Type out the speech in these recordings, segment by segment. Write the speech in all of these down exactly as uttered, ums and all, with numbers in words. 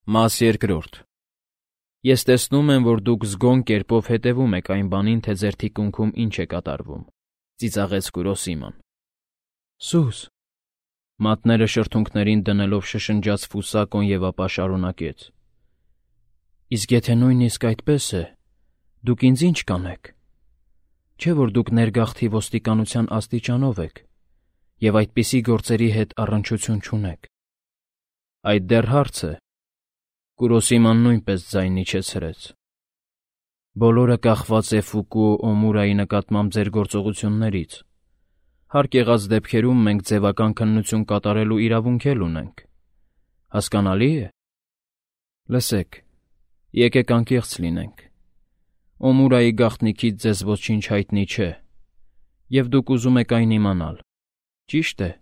Մաս երկրորդ. Ես տեսնում եմ, որ դուք զգոն կերպով հետևում եք այն բանին, թե ձեր թիկունքում ինչ է կատարվում, ծիծաղեց Կուրոսիման։ Սուս… Մատները շրթունքներին դնելով շշնջաց Ֆուսակոն և ապա շարունակեց. Իսկ եթե նույնիսկ այդպես է, դուք ինձ ի՞նչ կանեք։ Չէ՞ որ դուք ներգաղթի ոստիկանության աստիճանով եք և այդպիսի գործերի հետ առնչություն չունեք։ Այդ դեռ հարց է։ Կուրոսիման նույնպես ձայն իջեցրեց։ Բոլորը կախված է Ֆուկուո Օմուրայի նկատմամբ ձեր գործողություններից։ Հարկ եղած դեպքերում մենք ձևական քննություն կատարելու իրավունք էլ ունենք։ Հասկանալի՞ է։ Լսեք, եկեք անկեղծ լինենք։ Օմուրայի գաղտնիքից ձեզ ոչինչ հայտնի չէ, և դուք ուզում եք այն իմանալ, ճի՞շտ է։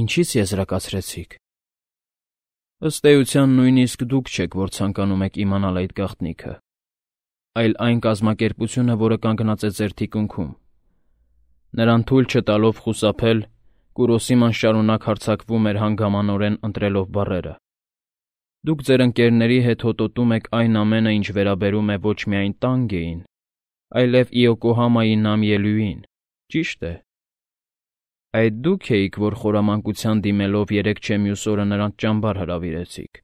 Ինչի՞ց եզրակացրեցիք։ Ըստ էության նույնիսկ դուք չեք, որ ցանկանում եք իմանալ այդ գաղտնիքը, այլ այն կազմակերպությունը, որը կանգնած է ձեր թիկունքում։ Նրան թույլ չտալով խուսափել, Կուրոսիման շարունակ հարձակվում էր հանգամանորեն ընտրելով բառերը։ Դուք ձեր ընկերների հետ հոտոտում եք այն ամենը, ինչ վերաբերում է ոչ միայն Տանգեին, այլև Իոկոհամայի նամիելյուին, ճի՞շտ է։ Այդ դու՞ք էիք, որ խորամանկության դիմելով երեկ չէ մյուս օրը նրանց ճամբար հրավիրեցիք։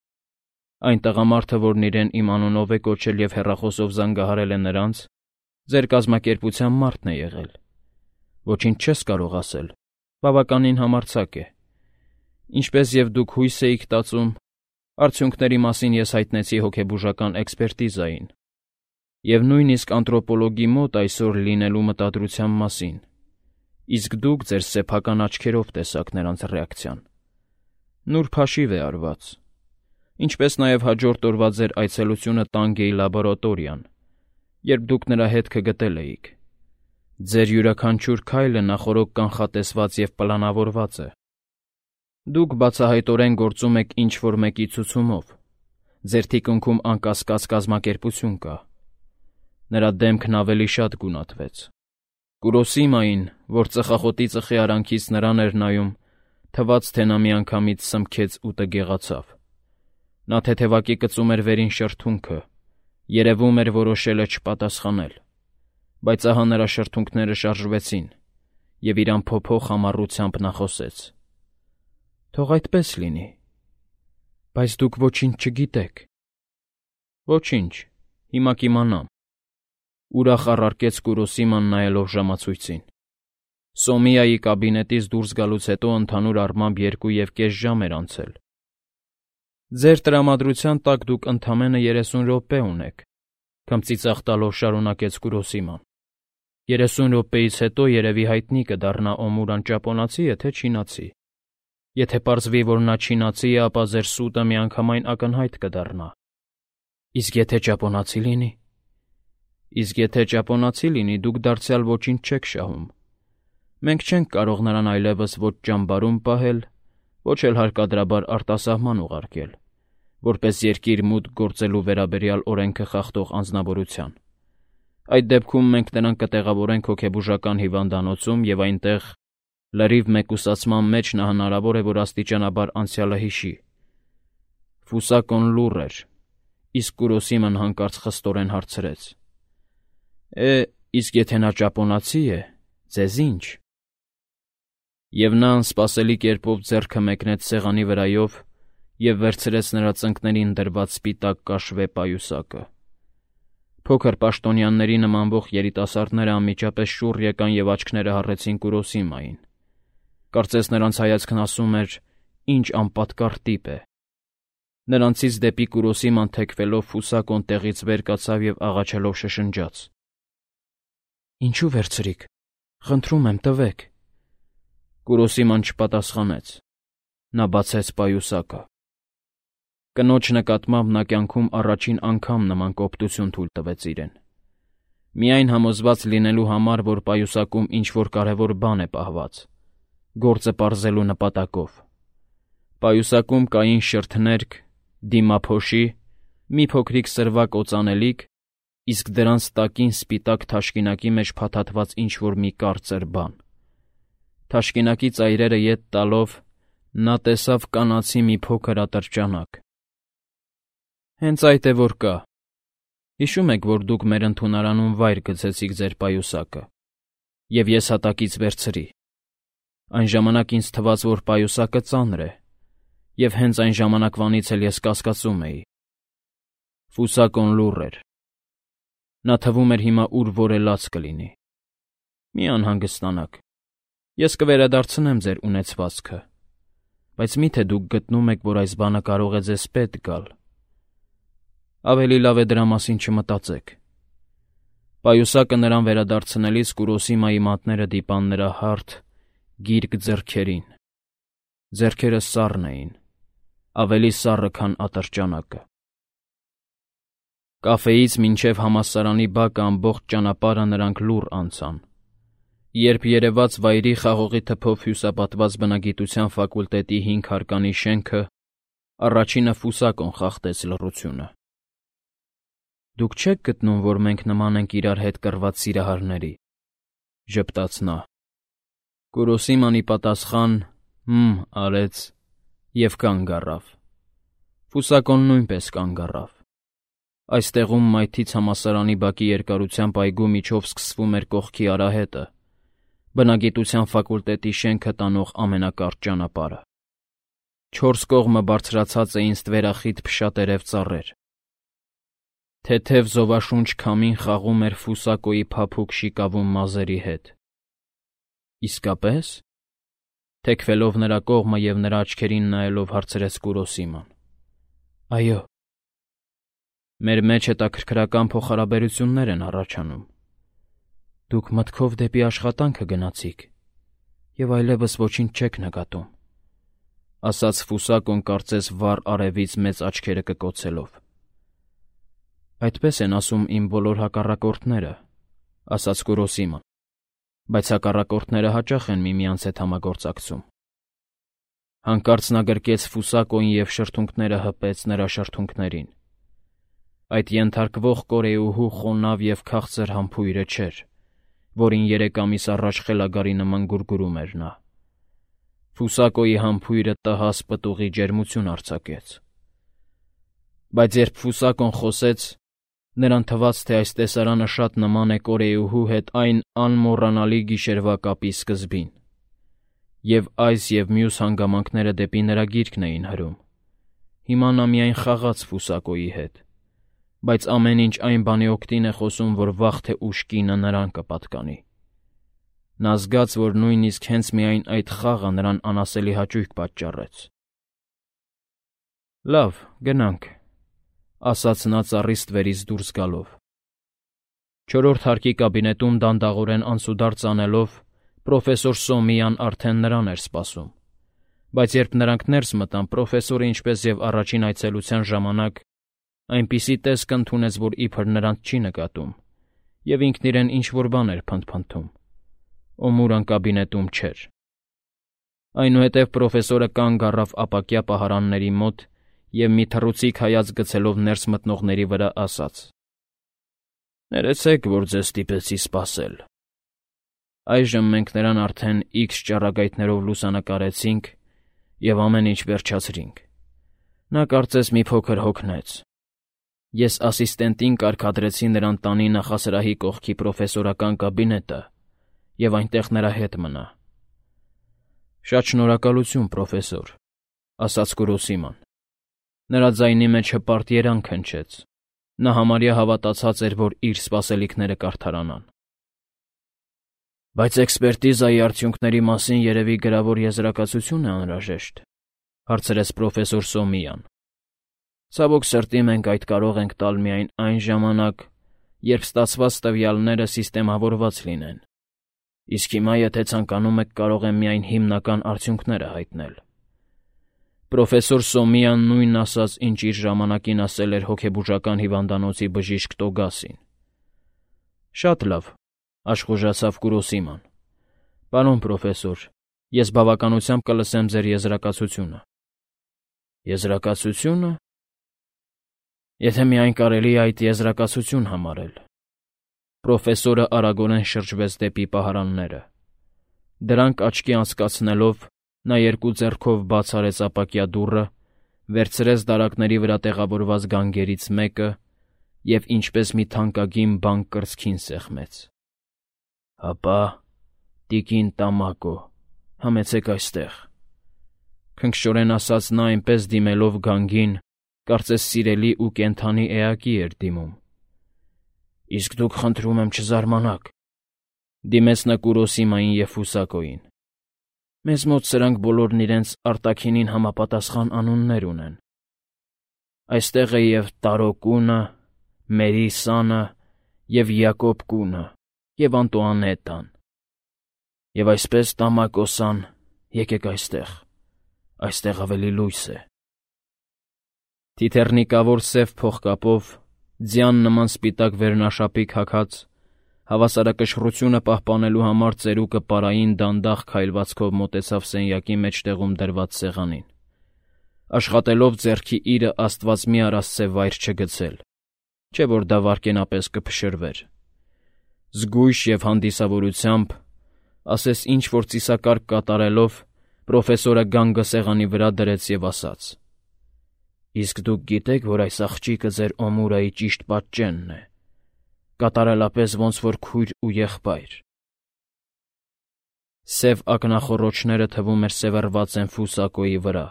Այն տղամարդը, որն իրեն իմ անունով է կոչել և հեռախոսով զանգահարել է նրանց, ձեր կազմակերպության մարդն է եղել։ Ոչինչ չես կարող ասել, բավականին համարձակ է։ Ինչպես և դուք հույս էիք տածում, արդյունքների մասին ես հայտնեցի հոգեբուժական էքսպերտիզային և նույնիսկ անթրոպոլոգի մոտ այսօր լինելու մտադրության մասին, իսկ դուք ձեր սեփական աչքերով տեսաք նրանց ռեակցիան։ Նուրբ հաշիվ է արված, ինչպես նաև հաջորդ օրվա ձեր այցելությունը Տանգեի լաբորատորիան, երբ դուք նրա հետքը գտել էիք։ Ձեր յուրաքանչյուր քայլը նախօրոք կանխատեսված և պլանավորված է։ Դուք բացահայտորեն գործում եք ինչ-որ մեկի ցուցումով, ձեր թիկունքում անկասկած կազմակերպություն կա։ Նրա դեմքն ավելի շատ գունատվեց։ Կուրոսիմային, որ ծխախոտի ծխի արանքից նրան էր նայում, թվաց, թե նա միանգամից սմքեց ու տգեղացավ։ Նա թեթևակի կծում էր վերին շրթունքը, երևում էր որոշել է չպատասխանել, բայց ահա նրա շրթունքները շարժվեցին, և իր անփոփոխ համառությամբ նա խոսեց. Թող այդպես լինի, բայց դուք ոչինչ չգիտեք։ Ոչինչ, հիմա կիմանամ, ուրախ առարկեց Կուրոսիման նայելով ժամացույցին։ Սոմիայի կաբինետից դուրս գալուց հետո ընդհանուր առմամբ երկու և կես ժամ էր անցել։ Ձեր տրամադրության տակ դուք ընդամենը երեսուն րոպե ունեք, քմծիծաղ տալով շարունակեց Կուրոսիման։ Երեսուն րոպեից հետո երևի հայտնի կդառնա Օմուրան ճապոնացի է, թե չինացի։ Եթե պարզվի, որ նա չինացի է, ապա ձեր սուտը միանգամայն ակնհայտ կդառնա։ Իսկ եթե ճապոնացի լինի։ Իսկ եթե ճապոնացի լինի, դուք դարձյալ ոչինչ չեք շահում։ Մենք չենք կարող նրան այլևս ոչ ճամբարում պահել, ոչ էլ հարկադրաբար արտասահման ուղարկել, որպես երկիր մուտք գործելու վերաբերյալ օրենքը խախտող անձնավորության։ Այդ դեպքում մենք նրան կտեղավորենք հոգեբուժական հիվանդանոցում և այնտեղ, լրիվ մեկուսացման մեջ, նա հնարավոր է, որ աստիճանաբար անցյալը հիշի։ Ֆուսակոն լուռ էր, իսկ Կուրոսիման հանկարծ խստորեն հարցրեց. Է, իսկ եթե նա ճապոնացի է, ձեզ ի՞նչ։ Եվ նա անսպասելի կերպով ձեռքը մեկնեց սեղանի վրայով և վերցրեց նրա ծնկներին դրված սպիտակ կաշվե պայուսակը։ Փոքր պաշտոնյաների նմանվող երիտասարդները անմիջապես շուռ եկան և աչքները հառեցին Կուրոսիմային։ Կարծես նրանց հայացքն ասում էր. «Ինչ անպատկառ տիպ է»։ Նրանցից դեպի Կուրոսիման թեքվելով Ֆուսակոն տեղից վեր կացավ և աղաչելով շշնջաց. Ինչու վերցրիք, խնդրում եմ, տվեք։ Կուրոսիման չպատասխանեց։ Նա բացեց պայուսակը։ Կնոջ նկատմամբ նա կյանքում առաջին անգամ նման կոպտություն թույլ տվեց իրեն։ Միայն համոզված լինելու համար, որ պայուսակում ինչ-որ կարևոր բան է պահված, գործը պարզելու նպատակով։ Պայուսակում կային շրթներկ, դիմափոշի, մի փոքրիկ սրվակ օծանելիք, իսկ դրանց տակին սպիտակ թաշկինակի մեջ փաթաթված ինչ-որ մի կարծր բան։ Թաշկինակի ծայրերը ետ տալով՝ նա տեսավ կանացի մի փոքր ատրճանակ, Հենց այդ է որ կա։ Հիշում եք, որ դուք մեր ընդունարանում վայր գցեցիք ձեր պայուսակը, և ես հատակից վերցրի։ Այն ժամանակ ինձ թվաց, որ պայուսակը ծանր է, և հենց այն ժամանակվանից էլ ես կասկածում էի։ Ֆուսակոն լուռ էր։ Նա թվում էր հիմա ուր որ է լաց կլինի։ Մի անհանգստանաք, ես կվերադարձնեմ ձեր ունեցվածքը, բայց մի՞թե դուք գտնում եք, որ այս բանը կարող է ձեզ պետք գալ։ Ավելի լավ է դրա մասին չմտածեք։ Պայուսակը նրան վերադարձնելիս Կուրոսիմայի մատները դիպան նրա հարթ, գիրկ ձեռքերին։ Ձեռքերը սառն էին, ավելի սառը, քան ատրճանակը։ Կաֆեից մինչև համալսարանի բակը ամբողջ ճանապարհը նրանք լուռ անցան։ Երբ երևաց վայրի խաղողի թփով հյուսապատված բնագիտության ֆակուլտետի հինգ հարկանի շենքը, առաջինը Ֆուսակոն խախտեց լռությունը։ Դուք չե՞ք գտնում, որ մենք նման ենք իրար հետ կռված սիրահարների, ժպտաց նա։ Կուրոսիմանի պատասխան «հմ» արեց և կանգ առավ։ Ֆուսակոն նույնպես կանգ առավ։ Այստեղում մայթից համալսարանի բակի երկարությամբ այգու միջով սկսվում էր կողքի արահետը, բնագիտության ֆակուլտետի շենքը տանող ամենակարճ ճանապարհը։ Չորս կողմը բարձրացած էին ստվերախիտ փշատերև ծառեր։ Թեթև զովաշունչ քամին խաղում էր Ֆուսակոյի փափուկ շիկավուն մազերի հետ։ Իսկապե՞ս։ Թեքվելով նրա կողմը և նրա աչքերին նայելով հարցրեց Կուրոսիման։ Այո։ Մեր մեջ հետաքրքրական փոխհարաբերություններ են առաջանում։ Դուք մտքով դեպի աշխատանքը գնացիք և այլևս ոչինչ չեք նկատում, ասաց Ֆուսակոն կարծես վառ արևից մեծ աչքերը կկոցելով։ Այդպես են ասում իմ բոլոր հակառակորդները, ասաց Կուրոսիման, բայց հակառակորդները հաճախ են միմյանց հետ համագործակցում։ Հանկարծ նա գրկեց Ֆուսակոյին և շրթունքները հպեց նրա շրթունքներին։ Այդ ենթարկվող կորեուհու խոնավ և քաղցր համբույրը չէր, որին երեք ամիս առաջ խելագարի նման գուրգուրում էր նա։ Ֆուսակոյի համբույրը տհաս պտուղի ջերմություն արձակեց։ Բայց երբ Ֆուսակոն խոսեց, նրան թվաց, թե այս տեսարանը շատ նման է կորեուհու հետ այն անմոռանալի գիշերվա կապի սկզբին, և այս և մյուս հանգամանքները դեպի նրա գիրկն էին հրում։ Հիմա նա միայն խաղաց Ֆուսակոյի հետ, բայց ամեն ինչ այն բանի օգտին է խոսում, որ վաղ թե ուշ կինը նրան կպատկանի։ Նա զգաց, որ նույնիսկ հենց միայն այդ խաղը նրան անասելի հաճույք պատճառեց։ Լավ, գնանք, ասաց նա ծառի ստվերից դուրս գալով։ Չորրորդ հարկի կաբինետում դանդաղորեն անցուդարձ անելով պրոֆեսոր Սոմիան արդեն նրան էր սպասում, բայց երբ նրանք ներս մտան, պրոֆեսորը, ինչպես և առաջին այցելության ժամանակ, այնպիսի տեսք ընդունեց, որ իբր նրանց չի նկատում, և ինքն իրեն ինչ-որ բան էր փնթփնթում։ Օմուրան կաբինետում չէր։ Այնուհետև պրոֆեսորը կանգ առավ ապակյա պահարանների մոտ և մի թռուցիկ հայացք գցելով ներս մտնողների վրա ասաց. «Ներեցեք, որ ձեզ ստիպեցի սպասել։ Այժմ մենք նրան արդեն իքս ճառագայթներով լուսանկարեցինք և ամեն ինչ վերջացրինք։ Նա կարծես մի փոքր հոգնեց։ Ես ասիստենտին կարգադրեցի նրան տանի նախասրահի կողքի պրոֆեսորական կաբինետը և այնտեղ նրա հետ մնա»։ Շատ շնորհակալություն, պրոֆեսոր, ասաց Կուրոսիման։ Նրա ձայնի մեջ հպարտ երանգ հնչեց։ Նա համարյա հավատացած էր, որ իր սպասելիքները կարդարանան։ Բայց էքսպերտիզայի արդյունքների մասին երևի գրավոր եզրակացություն է անհրաժեշտ, հարցրեց պրոֆեսոր Սոմիան։ Ցավոք սրտի մենք այդ կարող ենք տալ միայն այն ժամանակ, երբ ստացված տվյալները սիստեմավորված լինեն։ Իսկ հիմա, եթե ցանկանում եք, կարող եմ միայն հիմնական արդյունքները հայտնել։ Պրոֆեսոր Սոմիան նույնն ասաց, ինչ իր ժամանակին ասել էր հոգեբուժական հիվանդանոցի բժիշկ Տոգասին։ Շատ լավ, աշխուժացավ Կուրոսիման։ Պարոն պրոֆեսոր, ես բավականությամբ կլսեմ ձեր եզրակացությունը։ Եզրակացությունը։ Եթե միայն կարելի է այդ եզրակացություն համարել։ Պրոֆեսորը արագորեն շրջվեց դեպի պահարանները։ Դրանք աչքի անցկացնելով, նա երկու ձեռքով բաց արեց ապակյա դուռը, վերցրեց դարակների վրա տեղավորված գանգերից մեկը և ինչպես մի թանկագին բան կրծքին սեղմեց։ «Հապա, տիկին Տամակո, համեցեք այստեղ», քնքշորեն ասաց նա այնպես դիմելով գանգին, կարծես սիրելի ու կենդանի էակի էր դիմում։ «Իսկ դուք, խնդրում եմ, չզարմանաք», դիմեց նա Կուրոսիմային և Ֆուսակոյին։ «Մեզ մոտ սրանք բոլորն իրենց արտաքինին համապատասխան անուններ ունեն։ Այստեղ է և Տարո կունը, Մերի սանը, և Յակոբ կունը, և Անտուանետան։ Եվ այսպես, Տամակո սան, եկեք այստեղ, այստեղ ավելի լույս է»։ Թիթեռնիկավոր սև փողկապով, ձյան նման սպիտակ վերնաշապիկ հագած, հավասարակշռությունը պահպանելու համար ծերուկը պարային դանդաղ քայլվածքով մոտեցավ սենյակի մեջտեղում դրված սեղանին, աշխատելով ձեռքի իրը աստված մի արասցե վայր չգցել, չէ որ դա վայրկենապես կփշրվեր։ Զգույշ և հանդիսավորությամբ, ասես ինչ-որ ծիսակարգ կատարելով, պրոֆեսորը գանգը սեղանի վրա դրեց և ասաց. «Իսկ դուք գիտեք, որ այս աղջիկը ձեր Օմուրայի ճիշտ պատճենն է, կատարելապես ոնց որ քույր ու եղբայր»։ Սև ակնախոռոչները թվում էր սևեռված են Ֆուսակոյի վրա։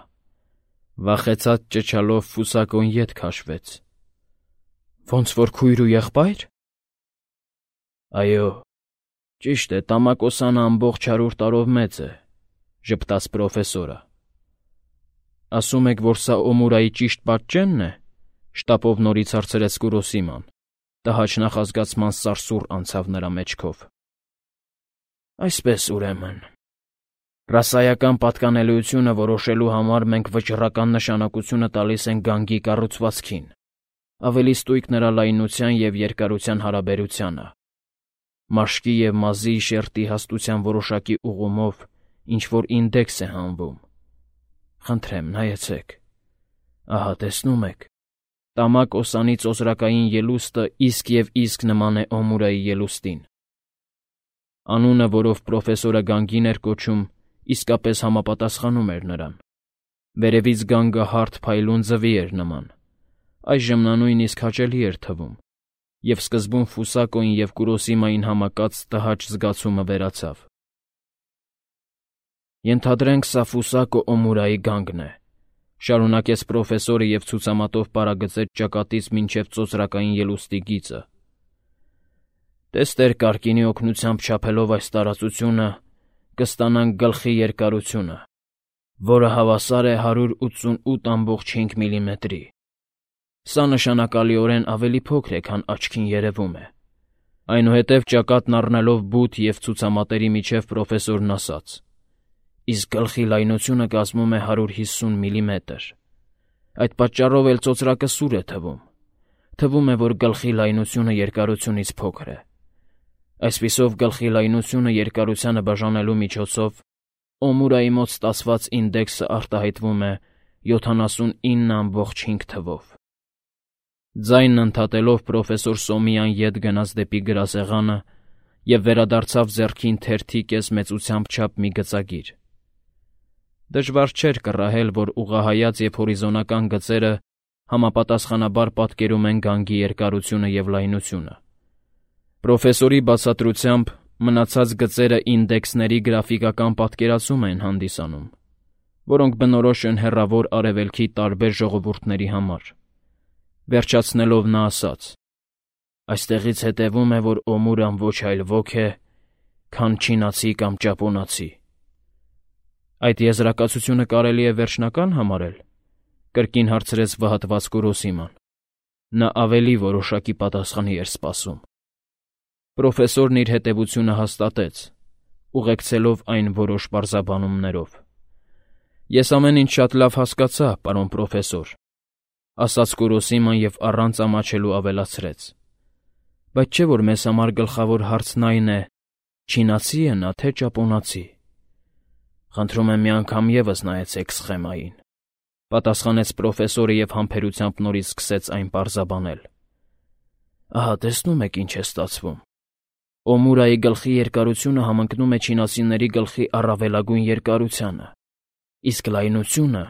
Վախեցած ճչալով Ֆուսակոն ետ քաշվեց։ «Ոնց որ քույր ու եղբա՞յր»։ «Այո, ճիշտ է, Տամակո սանը ամբողջ հարյուր տարով մեծ է», ժպտաց պրոֆեսորը։ «Ասում եք, որ սա Օմուրայի ճիշտ պատճենն է», շտապով նորից հարցրեց Կուրոսիման։ Տհաճ նախազգացման սարսուռ անցավ նրա մեջքով։ «Այսպես, ուրեմն, ռասայական պատկանելիությունը որոշելու համար մենք վճռական նշանակությունը տալիս ենք գանգի կառուցվածքին, ավելի ստույգ նրա լայնության և երկարության հարաբերությանը, մաշկի և մազի շերտի հաստության որոշակի ուղումով ինչ-որ ինդեքս է հանվում։ Խնդրեմ, նայեցեք։ Ահա, տեսնում եք, Տամակո սանի ծոծրակային ելուստը իսկ և իսկ նման է Օմուրայի ելուստին։ Անունը, որով պրոֆեսորը գանգին էր կոչում, իսկապես համապատասխանում էր նրան։ Վերևից գանգը հարթ փայլուն ձվի էր նման, այժմ նա նույնիսկ հաճելի էր թվում, և սկզբում Ֆուսակոյին և Կուրոսիմային համակած տհաճ զգացումը վերացավ։ «Ենթադրենք, սա Ֆուսակո Օմուրայի գանգն է», շարունակեց պրոֆեսորը և ցուցամատով պարագծեց ճակատից մինչև ծոծրակային ելուստի գիծը։ «Տեստեր կարկինի օգնությամբ չափելով այս տարածությունը, կստանանք գլխի երկարությունը, որը հավասար է հարյուր ութսունութ ամբողջ հինգ միլիմետրի։ Սա նշանակալիորեն ավելի փոքր է, քան աչքին երևում է»։ Այնուհետև ճակատն առնելով բութ և ցուցամատերի միջև պրոֆեսորն ասաց. «Իսկ գլխի լայնությունը կազմում է հարյուր հիսուն միլիմետր։ Այդ պատճառով էլ ծոծրակը սուր է թվում։ Թվում է, որ գլխի լայնությունը երկարությունից փոքր է։ Այսպիսով, գլխի լայնությունը երկարությանը բաժանելու միջոցով Օմուրայի մոտ ստացված ինդեքսը արտահայտվում է յոթանասունինը ամբողջ հինգ թվով»։ Ձայնն ընդհատելով պրոֆեսոր Սոմիան ետ գնաց դեպի գրասեղանը և վերադարձավ ձեռքին թերթի կես մեծությամբ չափ մի գծագիր։ Դժվար չէր կռահել, որ ուղղահայաց և հորիզոնական գծերը համապատասխանաբար պատկերում են գանգի երկարությունը և լայնությունը։ Պրոֆեսորի բացատրությամբ մնացած գծերը ինդեքսների գրաֆիկական պատկերացում են հանդիսանում, որոնք բնորոշ են հեռավոր Արևելքի տարբեր ժողովուրդների համար։ Վերջացնելով նա ասաց. «Այստեղից հետևում է, որ Օմուրան ոչ այլ ոք է, քան չինացի կամ ճապոնացի»։ «Այդ եզրակացությունը կարելի է վերջնական համարել», կրկին հարցրեց վհատված Կուրոսիման։ Նա ավելի որոշակի պատասխանի էր սպասում։ Պրոֆեսորն իր հետևությունը հաստատեց, ուղեկցելով այն որոշ պարզաբանումներով։ «Ես ամեն ինչ շատ լավ հասկացա, պարոն պրոֆեսոր», ասաց Կուրոսիման և առանց ամաչելու ավելացրեց. «Բայց չէ՞ որ մեզ համար գլխավոր հարցն այն է՝ չինացի՞ է նա, թե ճապոնացի»։ «Խնդրում եմ մի անգամ ևս նայեցեք սխեմային», պատասխանեց պրոֆեսորը և համբերությամբ նորից սկսեց այն պարզաբանել։ «Ահա, տեսնում եք ինչ է ստացվում։ Օմուրայի գլխի երկարությունը համընկնում է չինացիների գլխի առավելագույն երկարությանը, իսկ լայնությունը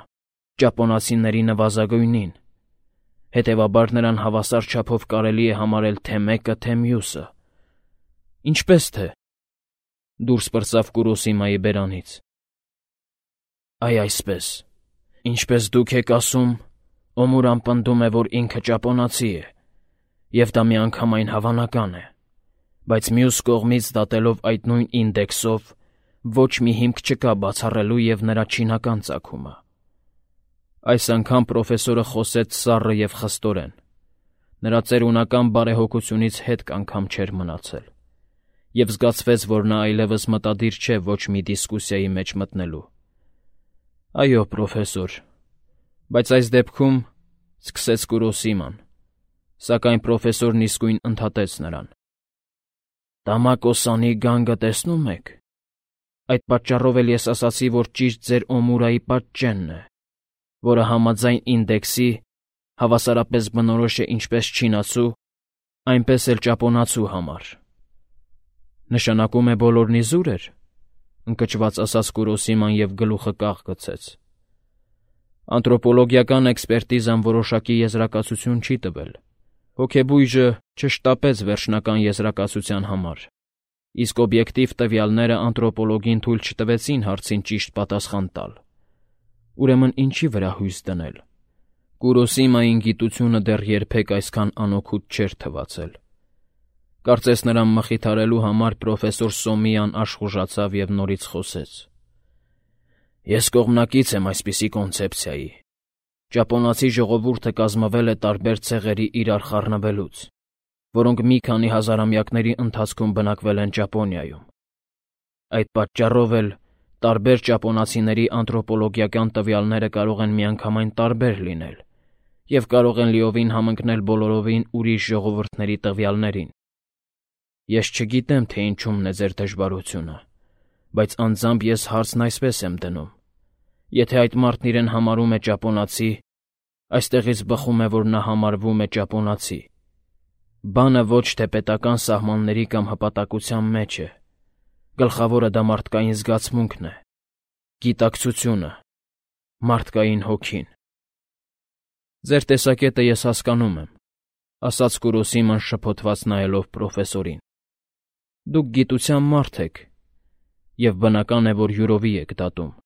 ճապոնացիների նվազագույնին, հետևաբար նրան հավասար չափով կարելի է համարել թե մեկը, թե մյուսը։ Ինչպես թե, դուրս պրծավ Կուրոսիմայի բերանից։ Այ այսպես, ինչպես դուք եք ասում, Օմուրան պնդում է, որ ինքը ճապոնացի է, և դա միանգամայն հավանական է, բայց մյուս կողմից դատելով այդ նույն ինդեքսով, ոչ մի հիմք չկա բացառելու և նրա չինական ծագումը։ Այս անգամ պրոֆեսորը խոսեց սառը և խստորեն. նրա ծերունական բարեհոգությունից հետք անգամ չէր մնացել, և զգացվեց, որ նա այլևս մտադիր չէ ոչ մի դիսկուսիայի մեջ մտնելու։ Այո, պրոֆեսոր, բայց այս դեպքում, սկսեց Կուրոսիման, սակայն պրոֆեսորն իսկույն ընդհատեց նրան. Տամակոսանի գանգը տեսնում եք։ Այդ պատճառով էլ ես ասացի, որ ճիշտ ձեր Օմուրայի պատճենն է, որը համաձայն ինդեքսի հավասարապես բնորոշ է ինչպես չինացու, այնպես էլ ճապոնացու համար։ Նշանակում է բոլորն իզուր էր, ընկճված ասաց Կուրոսիման և գլուխը կաղ գցեց։ Անթրոպոլոգիական էքսպերտիզան որոշակի եզրակացություն չի տվել, հոգեբույժը չշտապեց վերջնական եզրակացության համար, իսկ օբյեկտիվ տվյալները անթրոպոլոգին թույլ չտվեցին հարցին ճիշտ պատասխան տալ։ Ուրեմն ինչի վրա հույս դնել։ Կուրոսիմային գիտությունը դեռ երբեք այսքան անօգուտ չէր թվացել։ Կարծես նրան մխիթարելու համար պրոֆեսոր Սոմիան աշխուժացավ և նորից խոսեց. Ես կողմնակից եմ այսպիսի կոնցեպցիայի։ Ճապոնացի ժողովուրդը կազմվել է տարբեր ցեղերի իրար խառնվելուց, որոնք մի քանի հազարամյակների ընթացքում բնակվել են Ճապոնիայում։ Այդ պատճառով էլ տարբեր ճապոնացիների անթրոպոլոգիական տվյալները կարող են միանգամայն տարբեր լինել և կարող են լիովին համընկնել բոլորովին ուրիշ ժողովուրդների տվյալներին։ Ես չգիտեմ, թե ինչումն է ձեր դժվարությունը, բայց անձամբ ես հարցն այսպես եմ դնում. եթե այդ մարդն իրեն համարում է ճապոնացի, այստեղից բխում է, որ նա համարվում է ճապոնացի։ Բանը ոչ թե պետական սահմանների կամ հպատակության մեջ է, գլխավորը դա մարդկային զգացմունքն է, գիտակցությունը, մարդկային հոգին։ Ձեր տեսակետը ես հասկանում եմ, ասաց Կուրոսիման շփոթված նայելով պրոֆեսորին։ Դուք գիտության մարդ եք, և բնական է, որ յուրովի եք դատում։